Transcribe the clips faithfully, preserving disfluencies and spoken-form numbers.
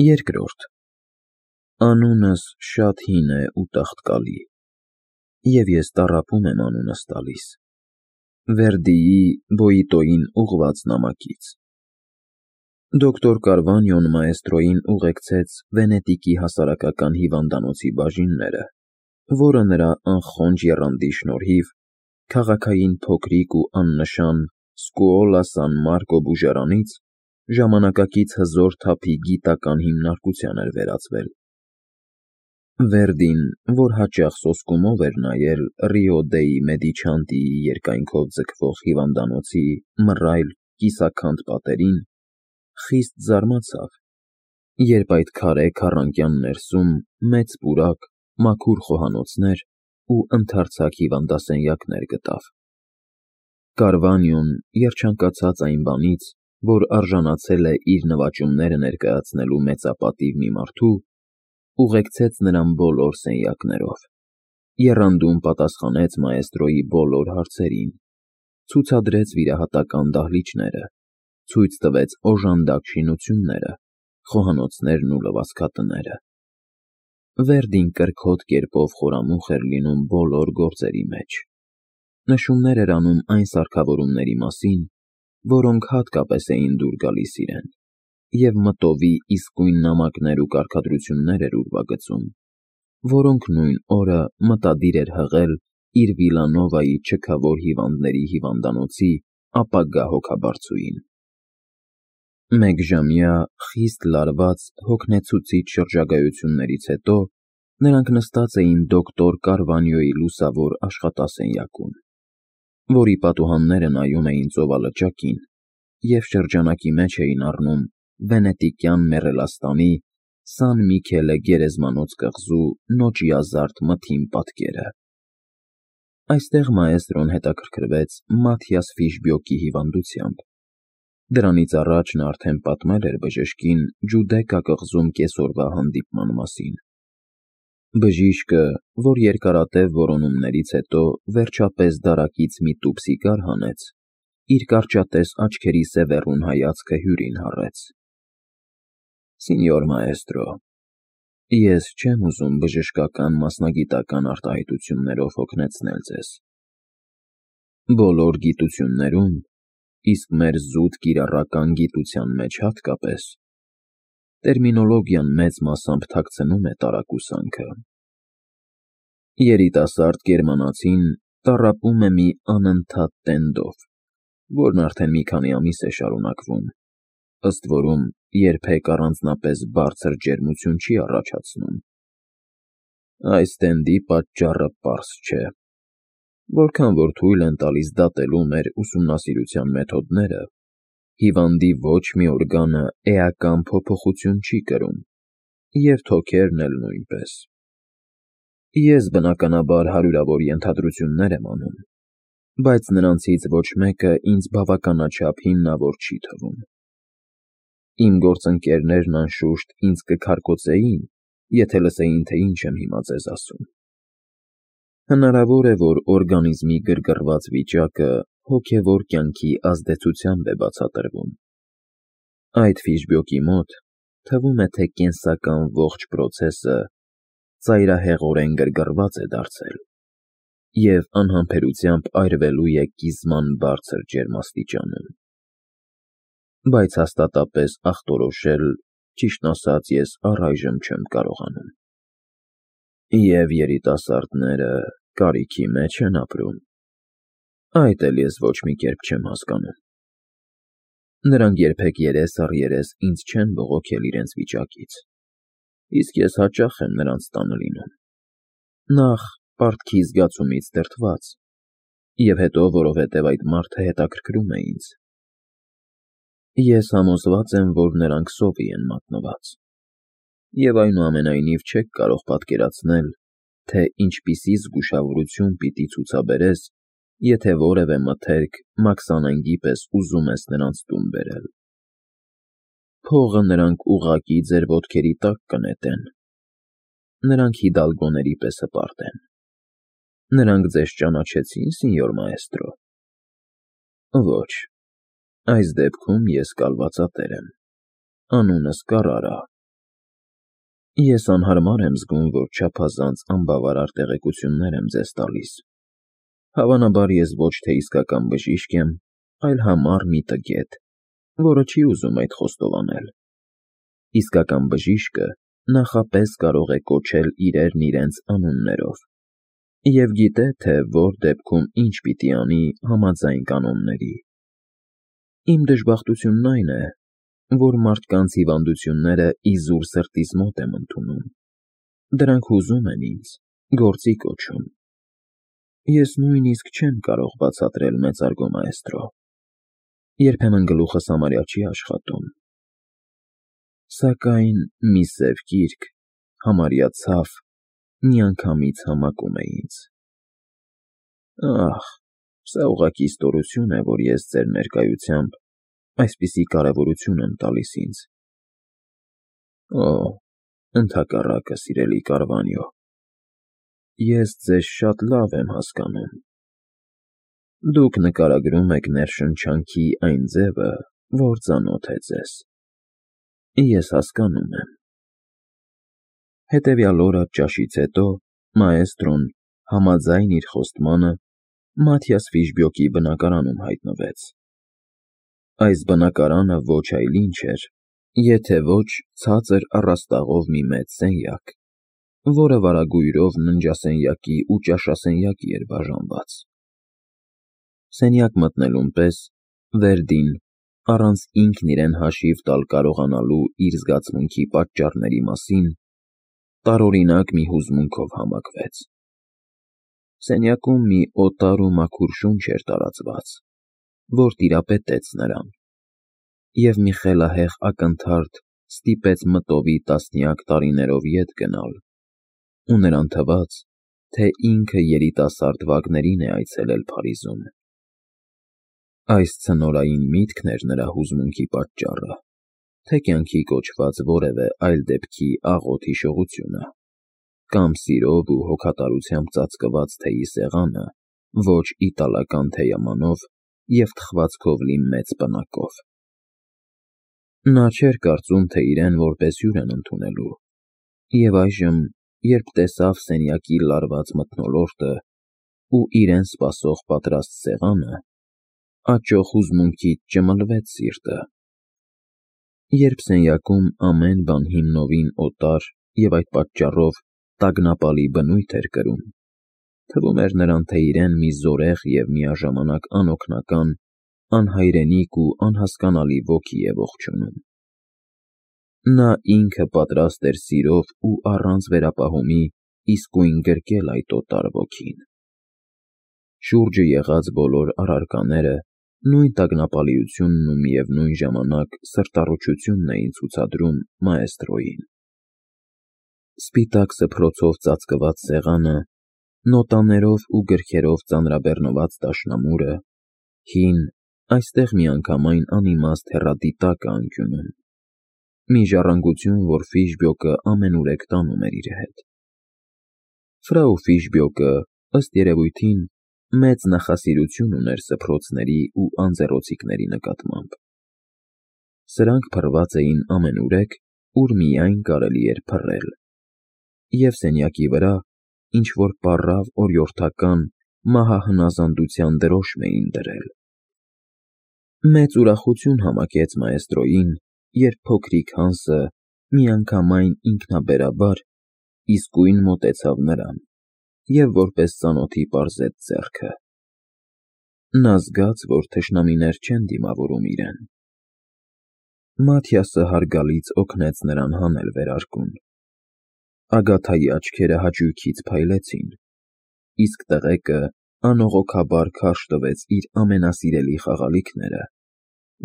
Երկրորդ. Անունս շատ հին է ու տաղտկալի, և ես տառապում եմ անունս տալիս, Վերդիի Բոյիտոյին ուղղված նամակից։ Դոկտոր Կարվանյոն մաեստրոյին ուղեկցեց Վենետիկի հասարակական հիվանդանոցի բաժինները, որը նրա անխոնջ եռանդի շնորհիվ քաղաքային փոքրիկ ու աննշան Սկուոլա Սան Մարկո բուժարանից ժամանակակից հզոր թափի գիտական հիմնարկության էր վերածվել։ Վերդին, որ հաճախ սոսկումով էր նայել Ռիո դեի Մեդիչանտիի երկայնքով ձգվող հիվանդանոցի մռայլ կիսաքանդ պատերին, խիստ զարմացավ, երբ այդ քարե քառանկյան ներսում մեծ պուրակ, մաքուր խոհանոցներ ու ընդարձակ հիվանդասենյակներ գտավ։ Կարվանյոն, երջանկացած այն բանից, որ արժանացել է իր նվաճումները ներկայացնելու մեծապատիվ մի մարդու, ուղեկցեց նրան բոլոր սենյակներով, եռանդուն պատասխանեց մաեստրոյի բոլոր հարցերին, ցուցադրեց վիրահատական դահլիճները, ցույց տվեց օժանդակ շինությունները, խոհանոցներն ու լվացքատները։ Վերդին կրքոտ կերպով խորամուխ էր լինում բոլոր գործերի մեջ, նշումներ էր անում այն սարքավորումների մասին, որոնք հատկապես էին դուր գալիս իրեն, և մտովի իսկույն նամակներ ու կարգադրություններ էր ուրվագծում, որոնք նույն օրը մտադիր էր հղել իր Վիլանովայի չքավոր հիվանդների հիվանդանոցի ապագա հոգաբարձուին։ Մեկժամյա, խիստ լարված, հոգնեցուցիչ շրջագայություններից հետո նրանք նստած էին դոկտոր Կարվանյոյի լուսավոր աշխատասենյակում, որի պատուհանները նայում էին ծովալճակին և շրջանակի մեջ էին առնում վենետիկյան մեռելաստանի Սան Միքելե գերեզմանոց կղզու նոճիազարդ մթին պատկերը։ Այստեղ մաեստրոն հետաքրքրվեց Մաթիաս Ֆիշբյոկի հիվանդությամբ։ Դրանից առաջ նա արդեն պատմել էր բժշկին Ջուդեկա կղզում կեսօրվա հանդիպման մասին։ Բժիշկը, որ երկարատև որոնումներից հետո վերջապես դարակից մի տուփ սիգար հանեց, իր կարճատես աչքերի սևեռուն հայացքը հյուրին հառեց։ Սինյոր մաեստրո, ես չեմ ուզում բժշկական մասնագիտական արտահայտություններով հոգնեցնել ձեզ։ Բոլոր գիտություններում, իսկ մեր զուտ կիրառական գիտության մեջ հատկապես, տերմինոլոգիան մեծ մասամբ թաքցնում է տարակուսանքը։ Երիտասարդ գերմանացին տառապում է մի անընդհատ տենդով, որն արդեն մի քանի ամիս է շարունակվում, ըստ որում երբեք առանձնապես բարձր ջերմություն չի առաջացնում։ Այս տենդի պատճառը պարզ չէ։ Որքան որ թույլ են տալիս դատելու մեր ուսումնասիրության մեթոդները, հիվանդի ոչ մի օրգանը էական փոփոխություն չի կրում, և թոքերն էլ նույնպես։ Ես բնականաբար հարյուրավոր ենթադրություններ եմ անում, բայց նրանցից ոչ մեկը ինձ բավականաչափ հիմնավոր չի թվում։ Իմ գործընկերներն անշուշտ ինձ կքարկոծեին, եթե լսեին, թե ինչ եմ հիմա ձեզ ասում։ Հնարավոր է, որ օրգանիզմի գրգռված վիճակը հոգևոր կյանքի ազդեցությամբ է բացատրվում։ Այդ Ֆիշբյոկի մոտ թվում է, թե կենսական ողջ պրոցեսը ծայրահեղորեն գրգռված է դարձել և անհամբերությամբ այրվելու է կիզման բարձր ջերմաստիճանում։ Բայց հաստատապես ախտորոշել, ճիշտն ասած, ես առայժմ չեմ կարողանում։ Եվ երիտասարդները կարիքի մեջ են ապրում։ Այդ էլ ես ոչ մի կերպ չեմ հասկանում։ Նրանք երբեք երես առ երես ինձ չեն բողոքել իրենց վիճակից, իսկ ես հաճախ եմ նրանց տանը լինում։ Նախ, պարտքի զգացումից դրդված, և հետո, որովհետև այդ մարդը հետաքրքրում է ինձ։ Ես համոզված եմ, որ նրանք սովի են մատնված, և այնուամենայնիվ չեք կարող պատկերացնել, թե ինչպիսի զգուշավորություն պիտի ցուցաբերես, եթե որևէ մթերք մաքսանենգի պես ուզում ես նրանց տուն բերել։ Փողը նրանք ուղղակի ձեր ոտքերի տակ կնետեն։ Նրանք հիդալգոների պես հպարտ են։ Նրանք ձեզ ճանաչեցի՞ն, սինյոր մաեստրո։ Ոչ, այս դեպքում ես կալվածատեր եմ։ Անունս Կարարա, Ես անհարմար եմ զգում, որ չափազանց անբավարար տեղեկություններ եմ ձեզ տալիս։ Հավանաբար ես ոչ թե իսկական բժիշկ եմ, այլ համառ մի տգետ, որը չի ուզում այդ խոստովանել։ Իսկական բժիշկը նախապես կարող է կոչել իրերն իրենց անուններով և գիտե, թե որ դեպքում ինչ պիտի անի համաձայն կանոնների։ Իմ դժբախտությունն այն է, որ մարդկանց հիվանդությունները իզուր սրտիս մոտ եմ ընդունում, դրանք հուզում են ինձ, գործի կոչում։ Ես նույնիսկ չեմ կարող բացատրել, մեծարգո մաեստրո, երբեմն գլուխս համարյա չի աշխատում։ Սակայն մի սև գիրք, համարյա ցավ, միանգամից համակում է ինձ։ Ահ, սա ուղղակի ստորություն է, որ ես ձեր ներկայությամբ այսպիսի կարևորություն եմ տալիս ինձ։ Օ, ընդհակառակը, սիրելի Կարվանյո, ես ձեզ շատ լավ եմ հասկանում։ Դուք նկարագրում եք ներշնչանքի այն ձևը, որ ծանոթ է ձեզ։ Ես հասկանում եմ։ Հետևյալ օրը ճաշից հետո մաեստրոն, համաձայն իր խոստմանը, Մաթիաս Ֆիշբյոկի բնակարանում հայտնվեց։ Այս բնակարանը ոչ այլ ինչ էր, եթե ոչ ցածր առաստաղով մի մեծ սենյակ, որը վարագույրով ննջասենյակի ու ճաշասենյակի էր բաժանված։ Սենյակ մտնելուն պես Վերդին, առանց ինքն իրեն հաշիվ տալ կարողանալու իր զգացմունքի պատճառների մասին, տարօրինակ մի հուզմունքով համակվեց։ Սենյակում մի օտար ու մաքուր շունչ էր տարածված, որ տիրապետեց նրան, և մի խելահեղ ակնթարթ ստիպեց մտովի տասնյակ տարիներով ետ գնալ, ու նրան թվաց, թե ինքը երիտասարդ վագներին է այցելել Փարիզում։ Այս ցնորային միտքն էր նրա հուզմունքի պատճառը, թե կյանքի կոչված որևէ այլ դեպքի աղոտ հիշողությունը, կամ սիրով ու հոգատարությամբ ծածկված թեյի սեղանը ոչ իտալական թեյամանով և թխվածքով լի մեծ պնակով։ Նա չէր կարծում, թե իրեն որպես հյուր են ընդունելու, և այժմ, երբ տեսավ սենյակի լարված մթնոլորտը ու իրեն սպասող պատրաստ սեղանը, աճող հուզմունքից ճմլվեց սիրտը։ Երբ սենյակում ամեն բան հիմնովին օտար և այդ պատճառով տագնապալի բնույթ էր կրում, թվում էր նրան, թե իրեն մի զորեղ և միաժամանակ անօգնական, անհայրենիք ու անհասկանալի ոգի է ողջունում։ Նա ինքը պատրաստ էր սիրով ու առանց վերապահումի իսկույն գրկել այդ օտար ոգին։ Շուրջը եղած բոլոր առարկաները նույն տագնապալիությունն ու միևնույն ժամանակ սրտառուչությունն էին ցուցադրում մաեստրոյին։ Սպիտակ սփռոցով ծածկված սեղանը, նոտաներով ու գրքերով ծանրաբեռնված դաշնամուրը, հին, այստեղ միանգամայն անիմաստ հեռադիտակը անկյունում, մի ժառանգություն, որ Ֆիշբյոկը ամենուրեք տանում էր իր հետ։ Ֆրау Ֆիշբյոկը, ըստ երևույթին, մեծ նախասիրություն ուներ սփռոցների ու անձեռոցիկների նկատմամբ։ Սրանք փռված էին ամենուրեք, ուր միայն կարելի էր փռել, և սենյակի վրա ինչ-որ պառավ օրիորդական, մահահնազանդության դրոշմ էին դրել։ Մեծ ուրախություն համակեց մաեստրոյին, երբ փոքրիկ Հանսը միանգամայն ինքնաբերաբար իսկույն մոտեցավ նրան և որպես ծանոթի պարզեց ձեռքը։ Նա զգաց, որ թշնամիներ չեն դիմավորում իրեն։ Մաթիասը հարգալից օգնեց նրան հանել վերարկուն։ Ագաթայի աչքերը հաճույքից փայլեցին, իսկ տղեկը անողոքաբար քարշ տվեց իր ամենասիրելի խաղալիքները,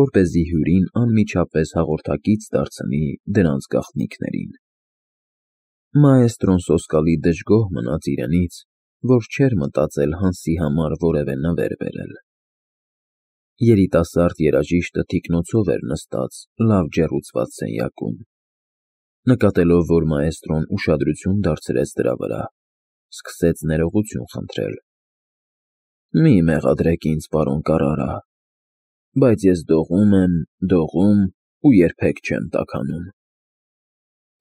որպեսզի հյուրին անմիջապես հաղորդակից դարձնի դրանց գաղտնիքներին։ Մաեստրոն սոսկալի դժգոհ մնաց իրենից, որ չէր մտածել Հանսի համար որևէ նվեր բերել։ Երիտասարդ երաժիշտը թիկնոցով էր նստած լավ ջեռուցված սենյակում։ Նկատելով, որ մաեստրոն ուշադրություն դարձրեց դրա վրա, սկսեց ներողություն խնդրել։ «Մի մեղադրեք ինձ, պարոն Կարարա, բայց ես դողում եմ, դողում ու երբեք չեմ տաքանում»։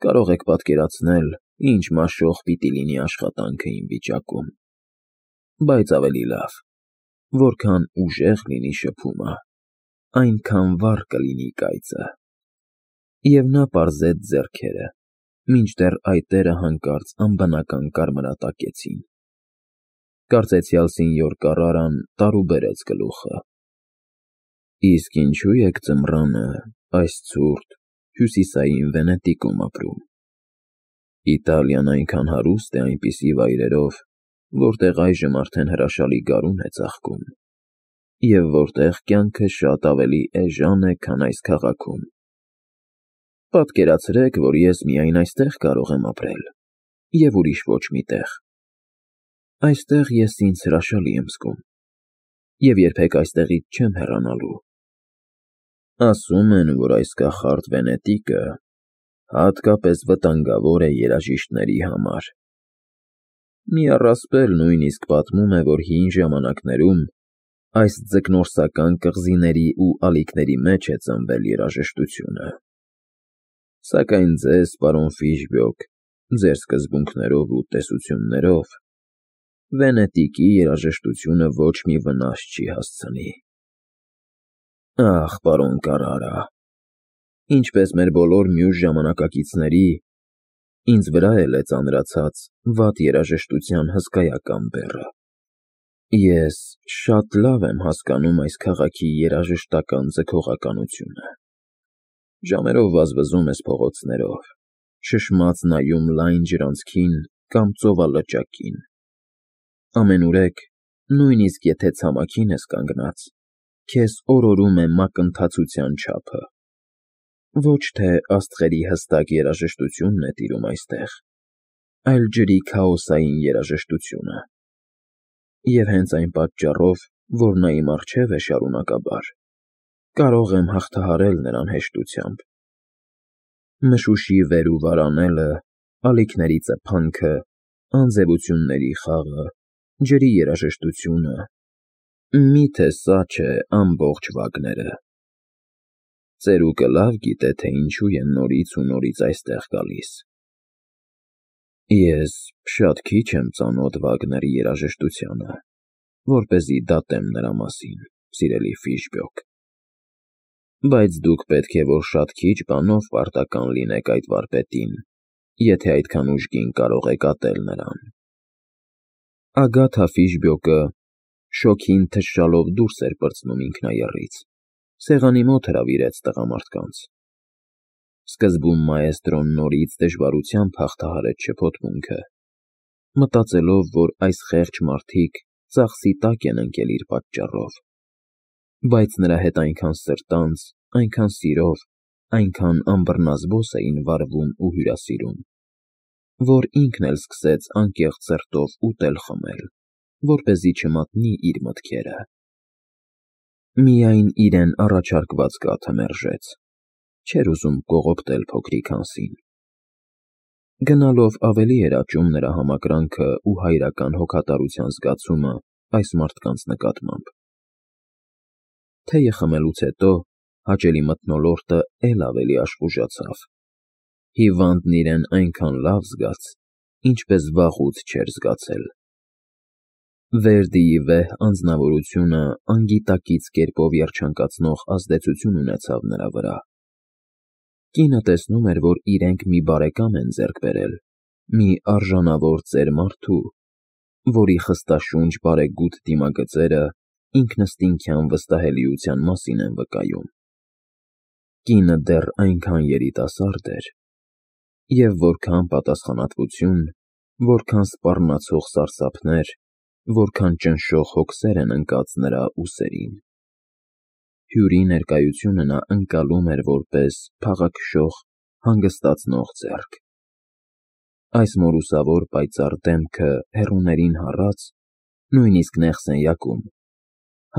Կարող եք պատկերացնել, ինչ մաշող պիտի լինի աշխատանքը իմ վիճակում, բայց ավելի լավ, որքան ուժեղ լինի շփումը, այնքան վառ կլինի կայծը։ Եվ նա պարզեց ձեռքերը, մինչդեռ այտերը հանկարծ անբնական կարմրատակեցին։ Կարծեցյալ սինյոր Կարրարան տարուբերեց գլուխը։ Իսկ ինչու եք ձմռանը այս ցուրտ հյուսիսային Վենետիկում ապրում։ Իտալիան այնքան հարուստ է այնպիսի վայրերով, որտեղ այժմ արդեն հրաշալի գարուն է ծաղկում, և որտեղ կյանքը շատ ավելի էժան է, քան այս քաղաքում։ Պատկերացրեք, որ ես միայն այստեղ կարող եմ ապրել, և ուրիշ ոչ մի տեղ։ Այստեղ ես ինձ հրաշալի եմ զգում, և երբեք այստեղից չեմ հեռանալու։ Ասում են, որ այս կախարդ Վենետիկը հատկապես վտանգավոր է երաժիշտների համար։ Մի առասպել նույնիսկ պատմում է, որ հին ժամանակներում այս ձկնորսական կղզիների ու ալիքների մեջ է ծնվել երաժշտությունը։ Սակայն ձեզ, պարոն Ֆիշբյոկ, ձեր սկզբունքներով ու տեսություններով, Վենետիկի երաժշտությունը ոչ մի վնաս չի հասցնի։ Ախ, պարոն Կարրարա, ինչպես մեր բոլոր մյուս ժամանակակիցների, ինձ վրա էլ է ծանրացած վատ երաժշտության հսկայական բեռը։ Ես շատ լավ եմ հասկանում այս քաղաքի երաժշտական ձգողականությունը։ Ժամերով վազվզում ես փողոցներով, շշմած նայում լայն ջրանցքին կամ ծովալճակին։ Ամենուրեք, նույնիսկ եթե ցամաքին ես կանգնած, քեզ օրորում է մակընթացության չափը։ Ոչ թե աստղերի հստակ երաժշտությունն է տիրում այստեղ, այլ ջրի քաոսային երաժշտությունը։ Եվ հենց այն պատճառով, որ նա իմ առջև է շարունակաբար, կարող եմ հաղթահարել նրան հեշտությամբ։ Մշուշի վեր ու վար անելը, ալիքների ծփանքը, անձևությունների խաղը, ջրի երաժշտությունը, միթե սա չէ ամբողջ Վագները։ Ծերուկը լավ գիտե, թե ինչու են նորից ու նորից այստեղ գալիս։ Ես շատ քիչ եմ ծանոթ Վագների երաժշտությանը, որպեսզի դատեմ նրա մասին, սիրելի Ֆիշբյոկ, բայց դուք պետք է որ շատ քիչ բանով պարտական լինեք այդ վարպետին, եթե այդքան ուժգին կարող եք ատել նրան։ Ագաթա Ֆիշբյոկը շոգին թշալով դուրս էր պրծնում ինքնաեռից, սեղանի մոտ հրավիրեց տղամարդկանց։ Սկզբում մաեստրոն նորից դժվարությամբ հաղթահարեց շփոթմունքը, մտածելով, որ այս խեղճ մարդիկ ծախսի տակ են ընկել իր պատճառով, բայց նրա հետ այնքան սրտանց, այնքան սիրով, այնքան անբռնազբոս էին վարվում ու հյուրասիրում, որ ինքն էլ սկսեց անկեղծ սրտով ուտել-խմել, որպեսզի չմատնի իր մտքերը։ Միայն իրեն առաջարկված կաթը մերժեց, չէր ուզում կողոպտել փոքրիկ հանսին։ Գնալով ավելի էր աճում նրա համակրանքը ու հայրական հոգատարության զգացումը այս մարդկանց նկատմամբ։ Թեյը խմելուց հետո հաճելի մթնոլորտը էլ ավելի աշխուժացավ։ Հիվանդն իրեն այնքան լավ զգաց, ինչպես վաղուց չէր զգացել։ Վերդիի վեհ անձնավորությունը անգիտակից կերպով երջանկացնող ազդեցություն ունեցավ նրա վրա։ Կինը տեսնում էր, որ իրենք մի բարեկամ են ձեռք բերել, մի արժանավոր ծեր մարդու, որի խստաշունչ բարեգութ դիմագծերը ինքնըստինքյան վստահելիության մասին են վկայում։ Կինը դեռ այնքան երիտասարդ էր, և որքան պատասխանատվություն, որքան սպառնացող սարսափներ, որքան ճնշող հոգսեր են ընկած նրա ուսերին։ Հյուրի ներկայությունը նա ընկալում էր որպես փաղաքշող, հանգստացնող ձեռք։ Այս մորուսավոր պայծառ դեմքը հեռուներին հառած, նույնիսկ նեղ սենյակում,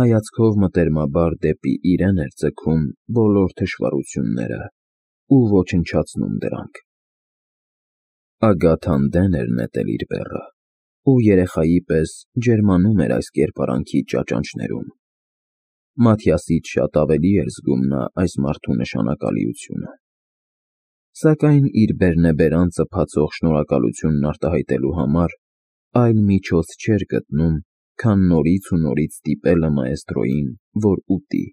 հայացքով մտերմաբար դեպի իրեն էր ձգում բոլոր թշվառությունները ու ոչնչացնում դրանք։ Ագաթան դեն էր նետել իր բեռը ու երեխայի պես ջերմանում էր այս կերպարանքի ճաճանճներում։ Մաթիասից շատ ավելի էր զգում նա այս մարդու նշանակալիությունը։ Սակայն իր բերնեբերանցը փացող շնորհակալությունն արտահայտելու համար այլ միջոց չէր գտնում, քան նորից ու նորից ստիպելը մաեստրոյին, որ ուտի։